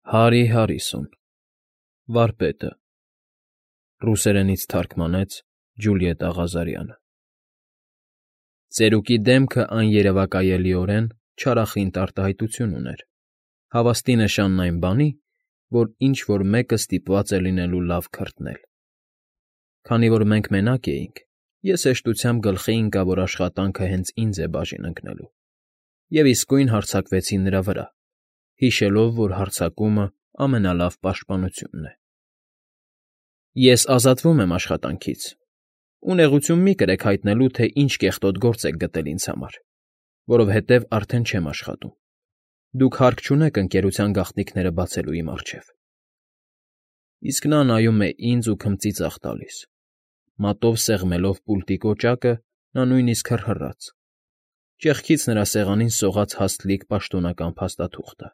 Հարի Հարիսոն, Վարպետը, ռուսերենից թարգմանեց Ջուլիետ Աղազարյանը։ Ծերուկի դեմքը աներևակայելիորեն չարախինդ արտահայտություն ուներ, հավաստի նշանն այն բանի, որ ինչ֊որ մեկը ստիպված է լինելու լավ քրտնել։ Քանի որ մենք մենակ էինք, ես հեշտությամբ գլխի ընկա, որ աշխատանքը հենց ինձ է բաժին ընկնելու, և իսկույն հարձակվեցի նրա վրա, հիշելով, որ հարձակումը ամենալավ պաշտպանությունն է։ Ես ազատվում եմ աշխատանքից, ու նեղություն մի կրեք հայտնելու, թե ինչ կեղտոտ գործ եք գտել ինձ համար, որովհետև արդեն չեմ աշխատում։ Դուք հարկ չունեք ընկերության գաղտնիքները բացելու իմ առջև։ Իսկ նա նայում է ինձ ու քմծիծաղ տալիս, մատով սեղմելով պուլտի կոճակը, նա նույնիսկ հռհռաց։ Ճեղքից նրա սեղանին սողաց հաստլիկ պաշտոնական փաստաթուղթը։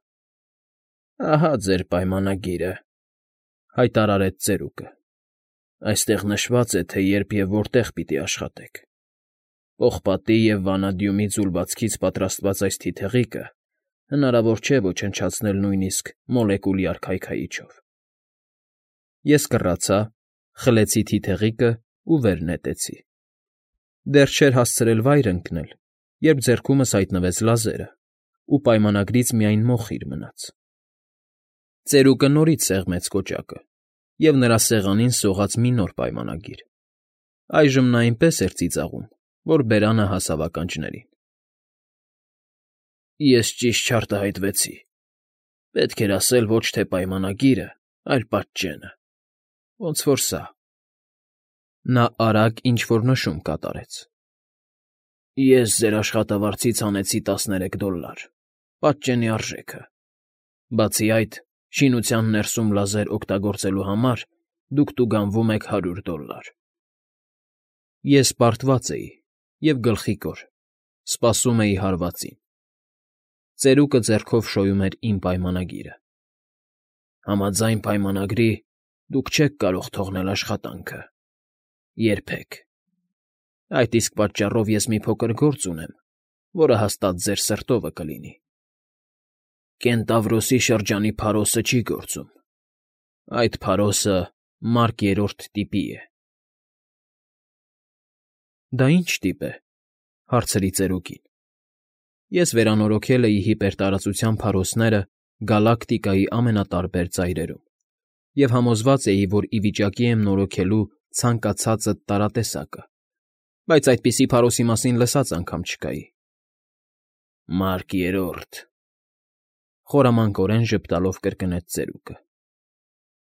Ահա ձեր պայմանագիրը, հայտարարեց ծերուկը։ Այստեղ նշված է, թե երբ և որտեղ պիտի աշխատեք։ Պողպատի և վանադյումի ձուլվածքից պատրաստված այս թիթեղիկը հնարավոր չէ ոչնչացնել նույնիսկ մոլեկուլյար քայքայիչով։ Ես կռացա, խլեցի թիթեղիկն ու վեր նետեցի։ Դեռ չէր հասցրել վայր ընկնել, երբ ձեռքումս հայտնվեց լազերը, ու պայմանագրից միայն մոխիր մնաց։ Ծերուկը նորից սեղմեց կոճակը, և նրա սեղանին սողաց մի նոր պայմանագիր։ Այժմ նա այնպես էր ծիծաղում, որ բերանը հասավ ականջներին։ Ես ճիշտ չարտահայտվեցի։ Պետք էր ասել ոչ թե պայմանագիրը, այլ պատճենը։ Ոնց որ սա։ Նա արագ ինչ֊որ նշում կատարեց։ Ես ձեր աշխատավարձից հանեցի $13, պատճենի արժեքը։ Բացի այդ, շինության ներսում լազեր օգտագործելու համար դուք տուգանվում եք $100։ Ես պարտված էի և գլխիկոր, սպասում էի հարվածին։ Ծերուկը ձեռքով շոյում էր իմ պայմանագիրը։ Համաձայն պայմանագրի դուք չեք կարող թողնել աշխատանքը։ Երբեք։ Այդ իսկ պատճառով ես մի փոքր գործ ունեմ, որը հաստատ ձեր սրտովը կլինի։ Կենտավրոսի շրջանի փարոսը չի գործում։ Այդ փարոսը Մարկ III տիպի է։ Դա ի՞նչ տիպ է,֊ հարցրի ծերուկին։ Ես վերանորոգել էի հիպերտարածության փարոսները գալակտիկայի ամենատարբեր ծայրերում և համոզված էի, որ ի վիճակի եմ նորոգելու ցանկացածդ տարատեսակը, բայց այդպիսի փարոսի մասին լսած անգամ չկայի։ Մարկ III,֊ խորամանկորեն ժպտալով կրկնեց ծերուկը։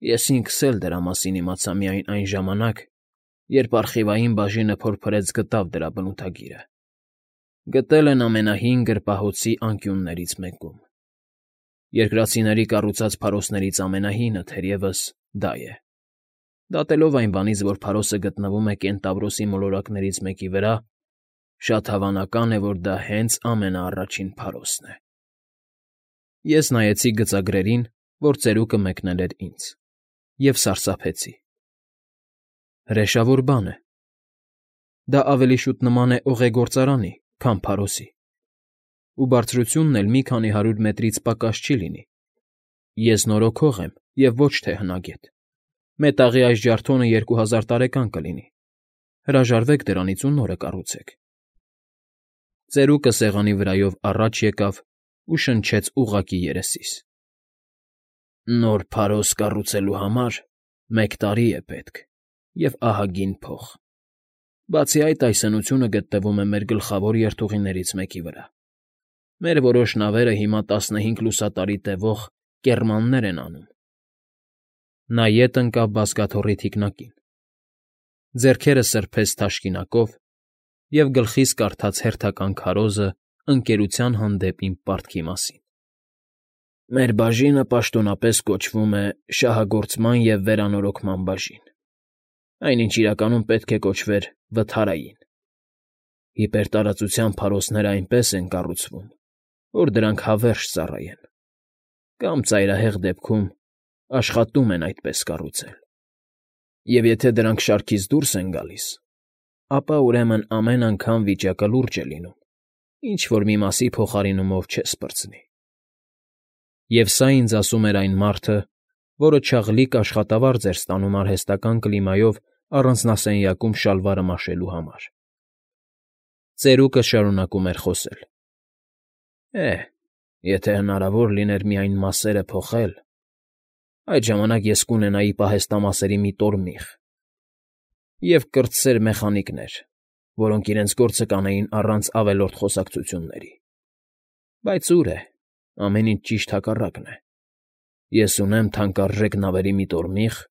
Ես ինքս էլ դրա մասին իմացա միայն այն ժամանակ, երբ արխիվային բաժինը փորփրեց գտավ դրա բնութագիրը։ Գտել են ամենահին գրպահոցի անկյուններից մեկում։ Երկրացիների կառուցած փարոսներից ամենահինը, թերևս, դա է։ Դատելով այն բանից, որ փարոսը գտնվում է Կենտավրոսի մոլորակներից մեկի վրա, շատ հավանական է, որ դա հենց ամենաառաջին փարոսն է։ Ես նայեցի գծագրերին, որ ծերուկը մեկնել էր ինձ, և սարսափեցի։ Հրեշավոր բան է։ Դա ավելի շուտ նման է օղեգործարանի, քան փարոսի, ու բարձրությունն էլ մի քանի 100 մետրից պակաս չի լինի։ Ես նորոգող եմ և ոչ թե հնագետ։ Մետաղի այս ջարդոնը 2000 տարեկան կլինի։ Հրաժարվեք դրանից ու նորը կառուցեք։ Ծերուկը սեղանի վրայով առաջ եկավ ու շնչեց ուղղակի երեսիս։ Նոր փարոս կառուցելու համար 1 տարի է պետք և ահագին փող։ Բացի այդ, այս հնությունը գտնվում է մեր գլխավոր երթուղիներից մեկի վրա։ Մեր որոշ նավերը հիմա 15 լուսատարի տևող կեռմաններ են անում։ Նա ետ ընկավ բազկաթոռի թիկնակին, ձեռքերը սրբեց թաշկինակով և գլխիս կարդաց հերթական քարոզը ընկերության հանդեպ իմ պարտքի մասին։ Մեր բաժինը պաշտոնապես կոչվում է Շահագործման և վերանորոգման բաժին, այնինչ իրականում պետք է կոչվեր Վթարային։ Հիպերտարածության փարոսները այնպես են կառուցվում, որ դրանք հավերժ ծառայեն, կամ ծայրահեղ դեպքում աշխատում են այդպես կառուցել։ Եվ եթե դրանք շարքից դուրս են գալիս, ապա ուրեմն ամեն անգամ վիճակը լուրջ է լինում, ինչ֊որ մի մասի փոխարինումով չես պրծնի։ Եվ սա ինձ ասում էր այն մարդը, որը չաղլիկ աշխատավարձ էր ստանում արհեստական կլիմայով առանձնասենյակում շալվարը մաշելու համար։ Ծերուկը շարունակում էր խոսել. Եթե հնարավոր լիներ միայն մասերը փոխել, այդ ժամանակ ես կունենայի պահեստամասերի մի տորմիղ և կրտսեր մեխանիկներ, որոնք իրենց գործը կանեին առանց ավելորդ խոսակցությունների։ Բայց ուր է, ամեն ինչ ճիշտ հակառակն է։ Ես ունեմ թանկարժեք նավերի մի տորմիղ,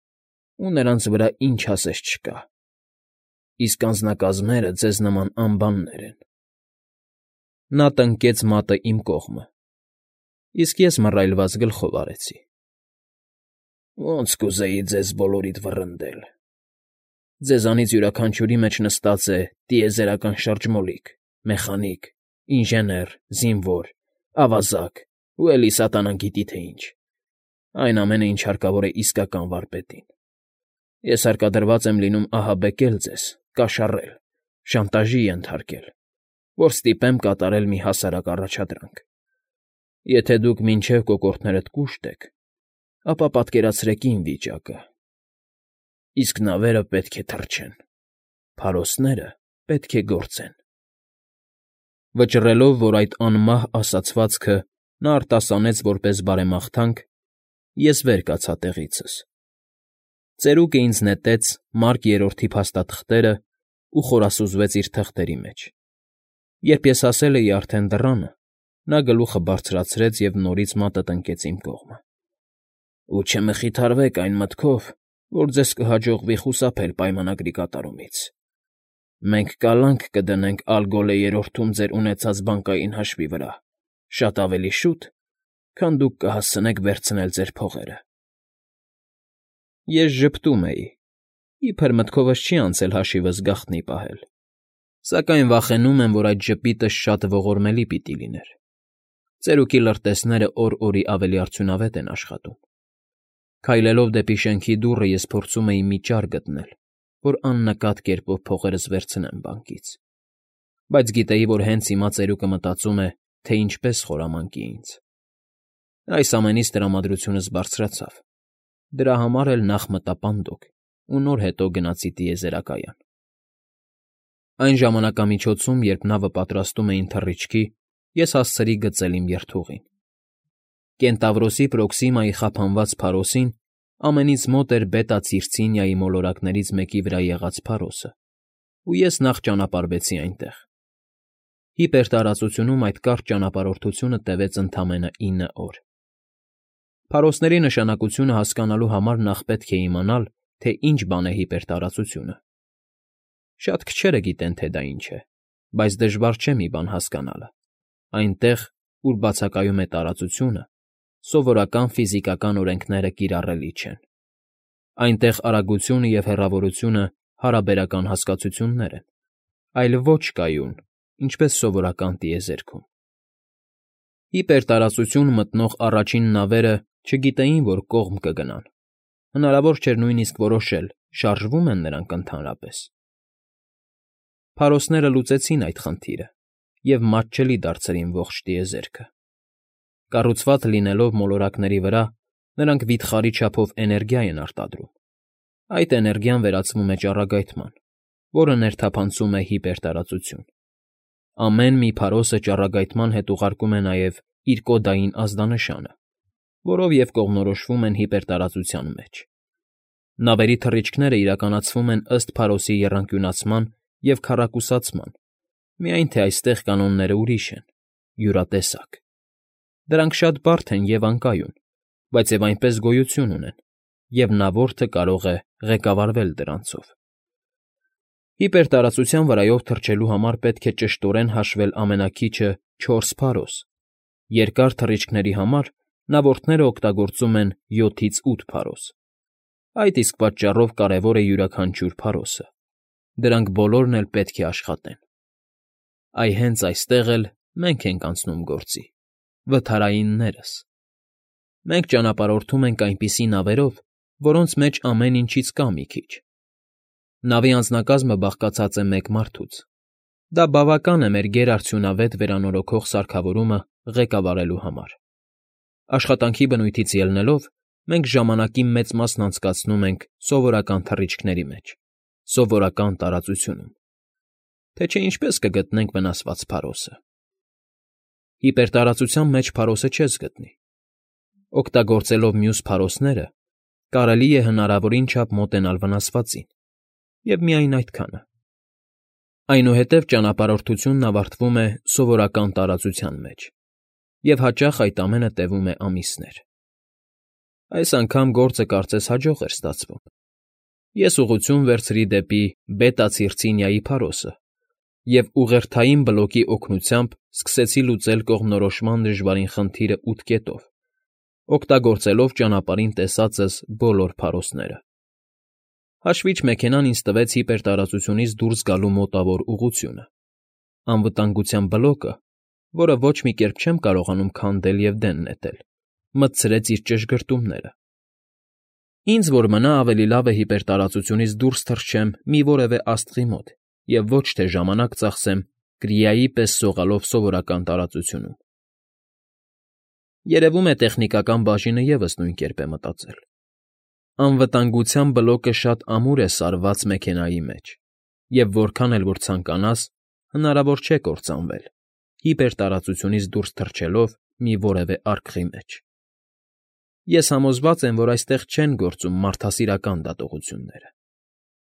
ու նրանց վրա ինչ ասես չկա, իսկ անձնակազմերը ձեզ նման անբաններ են։ Նա տնկեց մատը իմ կողմը, իսկ ես մռայլված գլխով արեցի. Ոնց կուզեի ձեզ բոլորիդ վռնդել։ Ձեզանից յուրաքանչյուրի մեջ նստած է տիեզերական շրջմոլիկ, մեխանիկ, ինժեներ, զինվոր, ավազակ ու էլի սատանան գիտի թե ինչ։ Այն ամենը, ինչ հարկավոր է իսկական վարպետին։ Ես հարկադրված եմ լինում ահաբեկել ձեզ, կաշառել, շանտաժի ենթարկել, որ ստիպեմ կատարել մի հասարակ առաջադրանք։ Եթե դուք մինչև կոկորդներդ կուշտ եք, ապա պատկերացրեք իմ վիճակը։ Իսկ նավերը պետք է թռչեն, փարոսները պետք է գործեն։ Վճռելով, որ այդ անմահ ասացվածքը նա արտասանեց որպես բարեմաղթանք, ես վեր կացա տեղիցս։ Ծերուկը ինձ նետեց Մարկ Երրորդի փաստաթղթերը ու խորասուզվեց իր թղթերի մեջ։ Երբ ես հասել էի արդեն դռանը, նա գլուխը բարձրացրեց և նորից մատը տնկեց իմ կողմը։ Ու չմխիթարվեք այն մտքով, որ ձեզ կհաջողվի խուսափել պայմանագրի կատարումից։ Մենք կալանք կդնենք Ալգոլե Երրորդում ձեր ունեցած բանկային հաշվի վրա, շատ ավելի շուտ, քան դուք կհասցնեք վերցնել ձեր փողերը։ Ես ժպտում էի, իբր մտքովս չի անցել հաշիվս գաղտնի պահել, սակայն վախենում եմ, որ այդ ժպիտը շատ ողորմելի պիտի լիներ։ Ծերուկի լրտեսները օր֊օրի ավելի արդյունավետ են աշխատում։ Քայլելով դեպի շենքի դուռը ես փորձում էի մի ճար գտնել, որ աննկատ կերպով փողերս վերցնեմ բանկից։ Բայց գիտեի, որ հենց հիմա ծերուկը մտածում է, թե ինչպես խորամանկի ինձ։ Այս ամենից տրամադրությունս բարձրացավ։ Դրա համար էլ նախ մտա պանդոկ ու նոր հետո գնացի տիեզերակայան։ Այն ժամանակամիջոցում, երբ նավը պատրաստում էին թռիչքի, ես հասցրի գծել իմ երթուղին։ Կենտավրոսի Պրոքսիմայի խափանված փարոսին ամենից մոտ էր Բետա Ցիրցինիայի մոլորակներից մեկի վրա եղած փարոսը, ու ես նախ ճանապարհվեցի այնտեղ։ Հիպերտարածությունում այդ կարճ ճանապարհորդությունը տևեց ընդամենը 9 օր։ Փարոսների նշանակությունը հասկանալու համար նախ պետք է իմանալ, թե ինչ բան է հիպերտարածությունը։ Շատ քչերը գիտեն, թե դա ինչ է, բայց դժվար չէ մի բան հասկանալը։ Այնտեղ, ուր բացակայում է տարածությունը, սովորական ֆիզիկական օրենքները կիրառելի չեն։ Այնտեղ արագությունը և հեռավորությունը հարաբերական հասկացություններ են, այլ ոչ կայուն, ինչպես սովորական տիեզերքում։ Հիպերտարածություն մտնող առաջին նավերը չգիտեին, որ կողմ կգնան։ Հնարավոր չէր նույնիսկ որոշել՝ շարժվո՞ւմ են նրանք ընդհանրապես։ Փարոսները լուծեցին այդ խնդիրը և մատչելի դարձրին ողջ տիեզերքը։ Կառուցված լինելով մոլորակների վրա, նրանք վիթխարի չափով էներգիա են արտադրում։ Այդ էներգիան վերածվում է ճառագայթման, որը ներթափանցում է հիպերտարածություն։ Ամեն մի փարոսը ճառագայթման հետ ուղարկում է նաև իր կոդային ազդանշանը, որով և կողմնորոշվում են հիպերտարածության մեջ։ Նավերի թռիչքները իրականացվում են ըստ փարոսի եռանկյունացման և քառակուսացման, միայն թե այստեղ կանոնները ուրիշ են, յուրատեսակ։ Դրանք շատ բարդ են և անկայուն, բայց և այնպես գոյություն ունեն, և նավորդը կարող է ղեկավարվել դրանցով։ Հիպերտարածության վրայով թռչելու համար պետք է ճշտորեն հաշվել ամենաքիչը 4 փարոս։ Երկար թռիչքների համար նավորդները օգտագործում են 7-ից 8 փարոս։ Այդ իսկ պատճառով կարևոր է յուրաքանչյուր փարոսը։ Դրանք բոլորն էլ պետք է աշխատեն։ Այ հենց այստեղ էլ մենք ենք անցնում գործի, վթարայիններս։ Մենք ճանապարհորդում ենք այնպիսի նավերով, որոնց մեջ ամեն ինչից կա մի քիչ։ Նավի անձնակազմը բաղկացած է մեկ մարդուց։ Դա բավական է մեր գերարդյունավետ վերանորոգող սարքավորումը ղեկավարելու համար։ Աշխատանքի բնույթից ելնելով, մենք ժամանակի մեծ մասն անցկացնում ենք սովորական թռիչքների մեջ, սովորական տարածությունում, թե չէ ինչպես կգտնենք վնասված փարոսը։ Հիպերտարածության մեջ փարոսը չես գտնի։ Օգտագործելով մյուս փարոսները, կարելի է հնարավորին չափ մոտենալ վնասվածին, և միայն այդքանը։ Այնուհետև ճանապարհորդությունն ավարտվում է սովորական տարածության մեջ, և հաճախ այդ ամենը տևում է ամիսներ։ Այս անգամ գործը կարծես հաջող էր ստացվում։ Ես ուղղություն վերցրի դեպի Բետա Ցիրցինիայի փարոսը և ուղերթային բլոկի օգնությամբ սկսեցի լուծել կողմնորոշման դժվարին խնդիրը 8 կետով, օգտագործելով ճանապարհին տեսածս բոլոր փարոսները։ Հաշվիչ մեքենան ինձ տվեց հիպերտարածությունից դուրս գալու մոտավոր ուղղությունը։ Անվտանգության բլոկը, որը ոչ մի կերպ չեմ կարողանում քանդել և դեն նետել, մտցրեց իր ճշգրտումները։ Ինձ որ մնա ավելի լավ է հիպերտարածությունից դուրս թռչեմ մի որևէ աստղի մոտ և ոչ թե ժամանակ ծախսեմ կրիայի պես սողալով սովորական տարածությունում։ Երևում է տեխնիկական բաժինը ևս նույն կերպ է մտածել։ Անվտանգության բլոկը շատ ամուր է սարված մեքենայի մեջ, և որքան էլ որ ցանկանաս, հնարավոր չէ կործանվել, հիպերտարածությունից դուրս թռչելով մի որևէ արկղի մեջ։ Ես համոզված եմ, որ այստեղ չեն գործում մարդասիրական դատողությունները։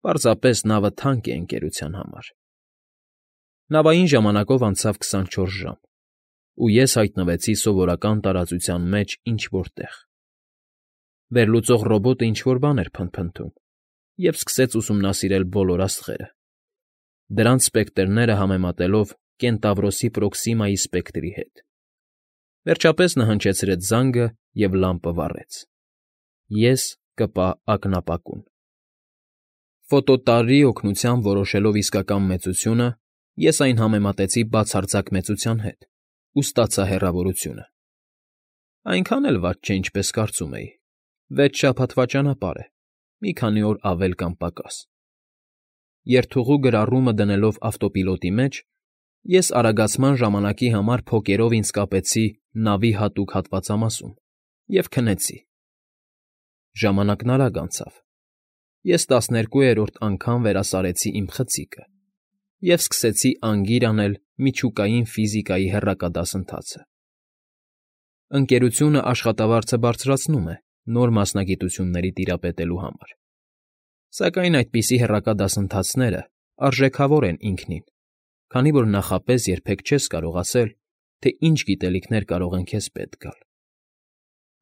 Պարզապես նավը թանկ է ընկերության համար։ Նավային ժամանակով անցավ 24 ժամ, ու ես հայտնվեցի սովորական տարածության մեջ ինչ֊որ տեղ։ Վերլուծող ռոբոտը ինչ֊որ բան էր փնթփնթում և սկսեց ուսումնասիրել բոլոր աստղերը, դրանց սպեկտրները համեմատելով Կենտավրոսի Պրոքսիմայի սպեկտրի հետ։ Վերջապես նա հնչեցրեց զանգը և լամպը վառեց։ Ես կպա ակնապակուն։ Ֆոտոտարրի օգնությամբ որոշելով իսկական մեծությունը, ես այն համեմատեցի բացարձակ մեծության հետ ու ստացա հեռավորությունը։ Այնքան էլ վատ չէ, ինչպես կարծում էի։ 6 շաբաթվա ճանապարհ է, մի քանի օր ավել կամ պակաս։ Երթուղու գրառումը դնելով ավտոպիլոտի մեջ, ես արագացման ժամանակի համար փոկերով ինձ կապեցի նավի հատուկ հատվածամասում և քնեցի։ Ժամանակն արագ անցավ։ Ես 12-րդ անգամ վերասարեցի իմ խցիկը և սկսեցի անգիր անել միջուկային ֆիզիկայի հեռակա դասընթացը։ Ընկերությունը աշխատավարձը բարձրացնում է նոր մասնագիտությունների տիրապետելու համար։ Սակայն այդպիսի հեռակա դասընթացները արժեքավոր են ինքնին, քանի որ նախապես երբեք չես կարող ասել, թե ինչ գիտելիքներ կարող են քեզ պետք գալ։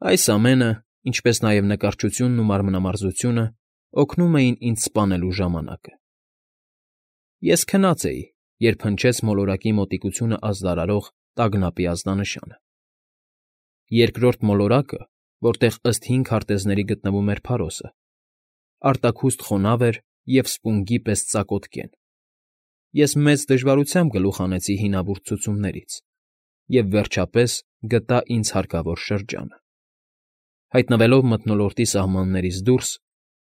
Այս ամենը, ինչպես նաև նկարչությունն ու մանրամասնությունը, օգնում էին ինձ սպանելու ժամանակը։ Ես քնած էի, երբ հնչեց մոլորակի մոտիկությունը ազդարարող տագնապի ազդանշանը։ Երկրորդ մոլորակը, որտեղ ըստ 5 քարտեզների գտնվում էր փարոսը, արտաքուստ խոնավ էր և սպունգի պես ծակոտկեն։ Ես մեծ դժվարությամբ գլուխ հանեցի հինավուրց ցուցումներից և, վերջապես, գտա ինձ հարկավոր շրջանը։ Հայտնվելով մթնոլորտի սահմաններից դուրս,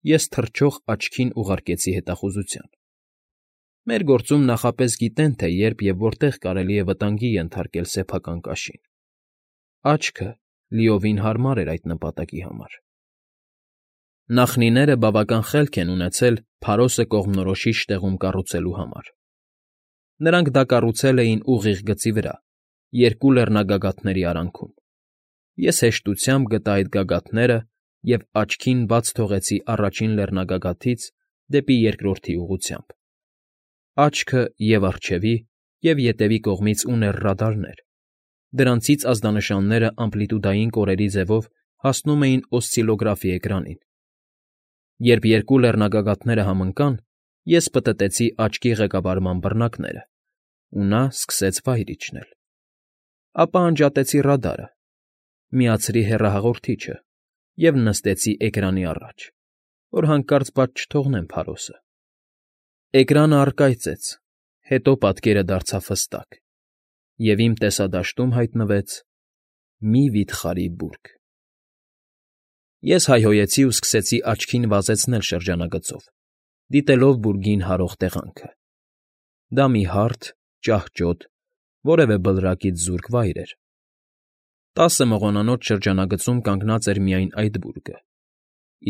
ես թռչող աչքին ուղարկեցի հետախուզության։ Մեր գործում նախապես գիտեն, թե երբ և որտեղ կարելի է վտանգի ենթարկել սեփական կաշին։ Աչքը լիովին հարմար էր այդ նպատակի համար։ Նախնիները բավական խելք են ունեցել փարոսը կողմնորոշիչ տեղում կառուցելու համար։ Նրանք դա կառուցել էին ուղիղ գծի վրա, երկու լեռնագագաթների արանքում։ Ես հեշտությամբ գտա այդ գագաթները և աչքին բաց թողեցի առաջին լեռնագագաթից դեպի երկրորդի ուղղությամբ։ Աչքը և՛ առջևի, և՛ ետևի կողմից ուներ ռադարներ։ Դրանցից ազդանշանները ամպլիտուդային կորերի ձևով հասնում էին օսցիլոգրաֆի էկրանին։ Երբ երկու լեռնագագաթները համընկան, ես պտտեցի աչքի ղեկավարման բռնակները, ու նա սկսեց վայր իջնել։ Ապա անջատեցի ռադարը, միացրի հեռահաղորդիչը և նստեցի էկրանի առաջ, որ հանկարծ բաց չթողնեմ փարոսը։ Էկրանը առկայծեց, հետո պատկերը դարձավ հստակ, և իմ տեսադաշտում հայտնվեց մի վիթխարի բուրգ։ Ես հայհոյեցի ու սկսեցի աչքին վազեցնել շրջանագծով, դիտելով բուրգին հարող տեղանքը։ Դա մի հարթ, ճահճոտ, որևէ բլրակից զուրկ վայր էր։ 10 մղոնանոց շրջանագծում կանգնած էր միայն այդ բուրգը,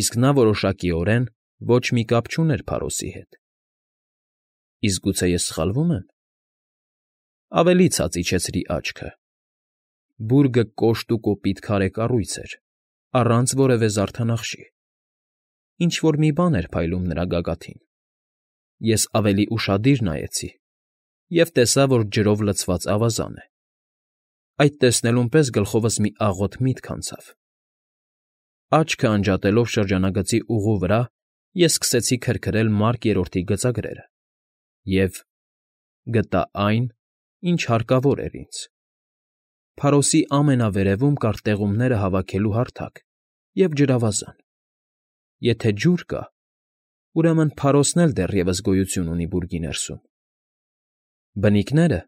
իսկ նա որոշակիորեն ոչ մի կապ չուներ Փարոսի հետ։ Իսկ գուցե ես սխալվում եմ։ Ավելի ցած իջեցրի աչքը։ Բուրգը կոշտ ու կոպիտ քարե կառույց էր, առանց որևէ զարդանախշի։ Ինչ-որ մի բան էր փայլում նրա գագաթին։ Ես ավելի ուշադիր նայեցի և տեսա, որ ջրով լցված ավազան է։ Այդ տեսնելուն պես գլխովս մի աղոտ միտք անցավ։ Աչքը անջատելով շրջանագծի ուղու վրա, ես սկսեցի քրքրել Մարկ Երրորդի գծագրերը և գտա այն, ինչ հարկավոր էր ինձ։ Փարոսի ամենավերևում կար տեղումները հավաքելու հարթակ և ջրավազան։ Եթե ջուր կա, ուրեմն Փարոսն էլ դեռևս գոյություն ունի բուրգի ներսում։ Բնիկները,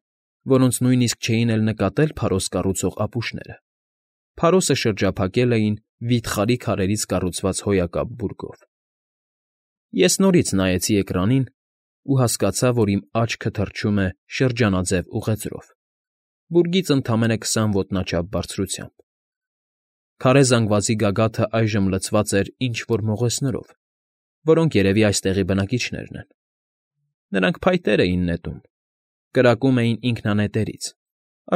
որոնց նույնիսկ չէին էլ նկատել Փարոս կառուցող ապուշները, Փարոսը շրջափակել էին վիթխարի քարերից կառուցված հոյակապ բուրգով։ Ես նորից նայեցի էկրանին ու հասկացա, որ իմ աչքը թռչում է շրջանաձև ուղեծրով, բուրգից ընդամենը 20 ոտնաչափ բարձրությամբ։ Քարե զանգվածի գագաթը այժմ լցված էր ինչ֊որ մողեսներով, որոնք երևի այստեղի բնակիչներն են։ Նրանք փայտեր էին նետում, կրակում էին ինքնանետերից,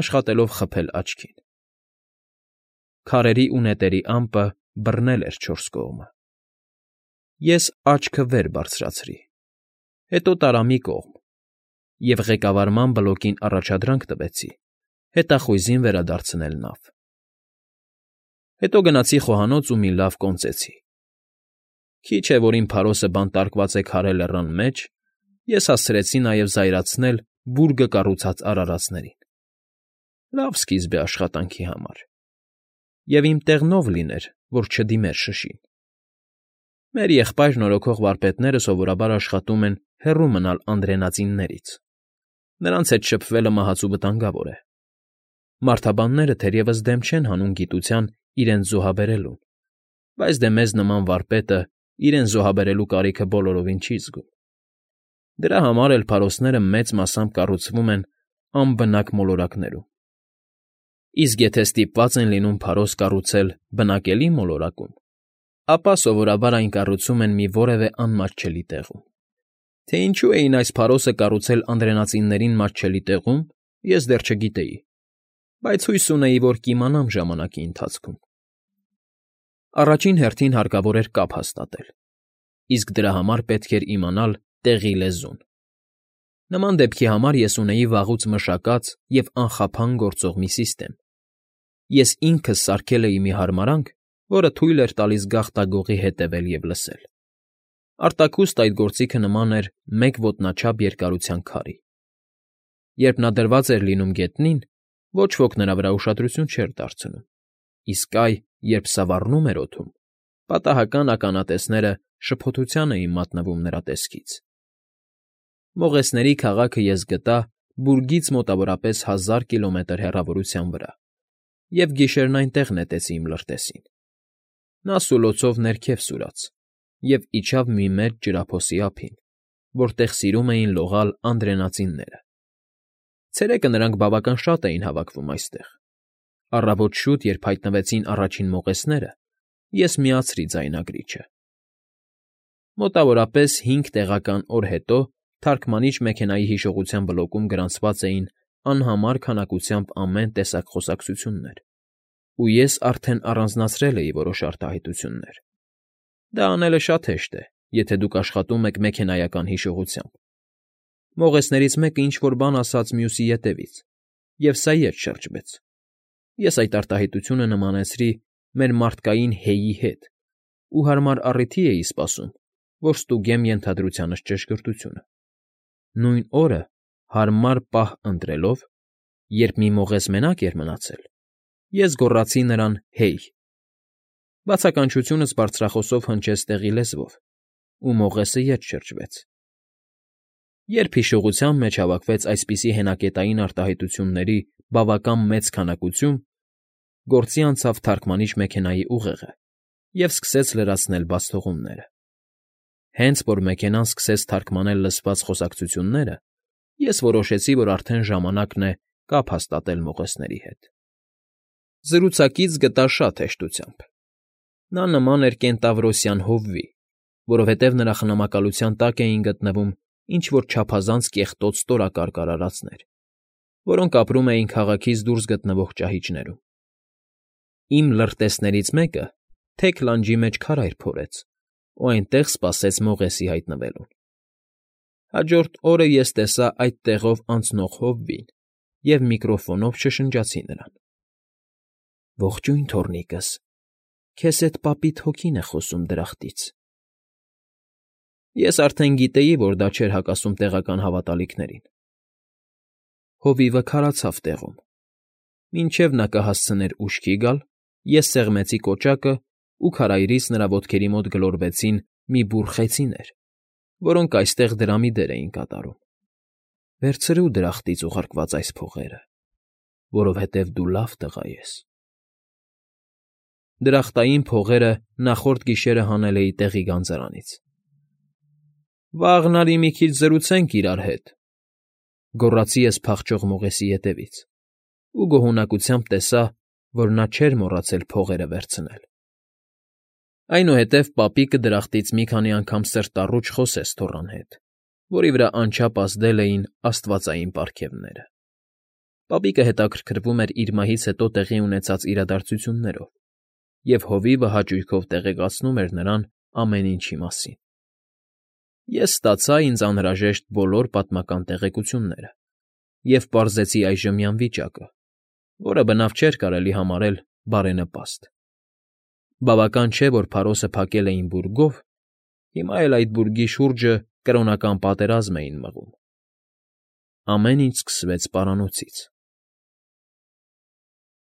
աշխատելով խփել աչքին։ Քարերի ու նետերի ամպը բռնել էր չորս կողմը։ Ես աչքը վեր բարձրացրի, հետո տարա մի կողմ և ղեկավարման բլոկին առաջադրանք տվեցի հետախույզին վերադարձնել նավ։ Հետո գնացի խոհանոց ու մի լավ կոնծեցի։ Քիչ է, որ իմ Փարոսը բանտարկված է քարե լեռան մեջ, ես հասցրեցի նաև զայրացնել բուրգը կառուցած արարածներին։ Լավ սկիզբ է աշխատանքի համար։ Եվ իմ տեղնով լիներ, որ չդիմեր շշին։ Մեր եղբայր նորոգող վարպետները սովորաբար աշխատում են հեռու մնալ անդրենածիններից։ Նրանց հետ շփվելը մահացու վտանգավոր է։ Մարդաբանները թերևս դեմ չեն հանում գիտության իրենց զոհաբերելուն, բայց դե մեզ նման վարպետը իրեն զոհաբերելու կարիքը բոլորովին չի զգում։ Դրա համար էլ փարոսները մեծ մասամբ կառուցվում են անբնակ մոլորակներում։ Իսկ եթե ստիպված են լինում փարոս կառուցել բնակելի մոլորակում, ապա սովորաբար այն կառուցում են մի որևէ անմատչելի տեղում։ Թե ինչու էին այս փարոսը կառուցել անդրենածիններին մատչելի տեղում, ես դեռ չգիտեի, բայց հույս ունեի, որ կիմանամ ժամանակի ընթացքում։ Առաջին հերթին հարկավոր էր կապ հաստատել, իսկ դրա համար պետք էր իմանալ տեղի լեզուն։ Նման դեպքի համար ես ունեի վաղուց մշակած և անխափան գործող մի սիստեմ։ Ես ինքս սարքել էի մի հարմարանք, որը թույլ էր տալիս գաղտագողի հետևել և լսել։ Արտաքուստ այդ գործիքը նման էր մեկ ոտնաչափ երկարության քարի։ Երբ նա դրված էր լինում գետնին, ոչ ոք նրա վրա ուշադրություն չէր դարձնում, իսկ այ, երբ սավառնում էր օդում, պատահական ականատեսները շփոթության էին մատնվում նրա տեսքից։ Մողեսների քաղաքը ես գտա բուրգից մոտավորապես 1000 կիլոմետր հեռավորության վրա, և գիշերն այնտեղ նետեցի իմ լրտեսին։ Նա սուլոցով ներքև սուրաց և իջավ մի մեծ ջրափոսի ափին, որտեղ սիրում էին լողալ անդրենածինները։ Ցերեկը նրանք բավական շատ էին հավաքվում այստեղ։ Առավոտ շուտ, երբ հայտնվեցին առաջին մողեսները, ես միացրի ձայնագրիչը։ Մոտավորապես 5 տեղական օր հետո թարգմանիչ մեքենայի հիշողության բլոկում գրանցված էին անհամար քանակությամբ ամեն տեսակ խոսակցություններ, ու ես արդեն առանձնացրել էի որոշ արտահայտություններ։ Դա անելը շատ հեշտ է, եթե դուք աշխատում եք մեքենայական հիշողությամբ։ Մողեսներից մեկը ինչ֊որ բան ասաց մյուսի ետևից, և սա ետ շրջվեց։ Ես այդ արտահայտությունը նմանեցրի մեր մարդկային «հեյի» հետ ու հարմար առիթի էի սպասում, որ ստուգեմ ենթադրությանս ճշգրտությունը։ Նույն օրը, հարմար պահ ընտրելով, երբ մի մողես մենակ էր մնացել, ես գոռացի նրան «հեյ»։ Բացականչությունս բարձրախոսով հնչեց տեղի լեզվով, ու մողեսը ետ շրջվեց։ Երբ հիշողության մեջ հավաքվեց այսպիսի հենակետային արտահայտությունների բավական մեծ քանակություն, գործի անցավ թարգմանիչ մեքենայի ուղեղը և սկսեց լրացնել բացթողումները։ Հենց որ մեքենան սկսեց թարգմանել լսված խոսակցությունները, ես որոշեցի, որ արդեն ժամանակն է կապ հաստատել մողեսների հետ։ Զրուցակից գտա շատ հեշտությամբ։ Նա նման էր կենտավրոսյան հովվի, որովհետև նրա խնամակալության տակ էին գտնվում ինչ֊որ չափազանց կեղտոտ ստորակարգ արարածներ, որոնք ապրում էին քաղաքից դուրս գտնվող ճահիճներում։ Իմ լրտեսներից մեկը թեք լանջի մեջ քարայր փորեց ու այնտեղ սպասեց մողեսի հայտնվելուն։ Հաջորդ օրը ես տեսա այդ տեղով անցնող հովվին և միկրոֆոնով շշնջացի նրան. «Ողջույն, թոռնիկս, քեզ հետ պապիդ հոգին է խոսում դրախտից»։ Ես արդեն գիտեի, որ դա չէր հակասում տեղական հավատալիքներին։ Հովիվը քարացավ տեղում։ Մինչև նա կհասցներ ուշքի գալ, ես սեղմեցի կոճակը ու քարայրից նրա ոտքերի մոտ գլորվեցին մի բուռ խեցիներ, որոնք այստեղ դրամի դեր էին կատարում։ «Վերցրու դրախտից ուղարկված այս փողերը, որովհետև դու լավ տղա ես»։ Դրախտային փողերը նախորդ գիշերը հանել էի տեղի գանձարանից։ «Վաղն արի մի քիչ զրուցենք իրար հետ», գոռացի ես փախչող մողեսի ետևից ու գոհունակությամբ տեսա, որ նա չէր մոռացել փողերը վերցնել։ Այնուհետև պապիկը դրախտից մի քանի անգամ սրտառուչ խոսեց թոռան հետ, որի վրա անչափ ազդել էին աստվածային պարգևները։ Պապիկը հետաքրքրվում էր իր մահից հետո տեղի ունեցած իրադարձություններով, և հովիվը հաճույքով տեղեկացնում էր նրան ամեն ինչի մասին։ Ես ստացա ինձ անհրաժեշտ բոլոր պատմական տեղեկությունները և պարզեցի այժմյան վիճակը, որը բնավ չէր կարելի համարել բարենպաստ։ Բավական չէ, որ փարոսը փակել էին բուրգով, հիմա էլ այդ բուրգի շուրջը կրոնական պատերազմ էին մղում։ Ամեն ինչ սկսվեց պարանոցից։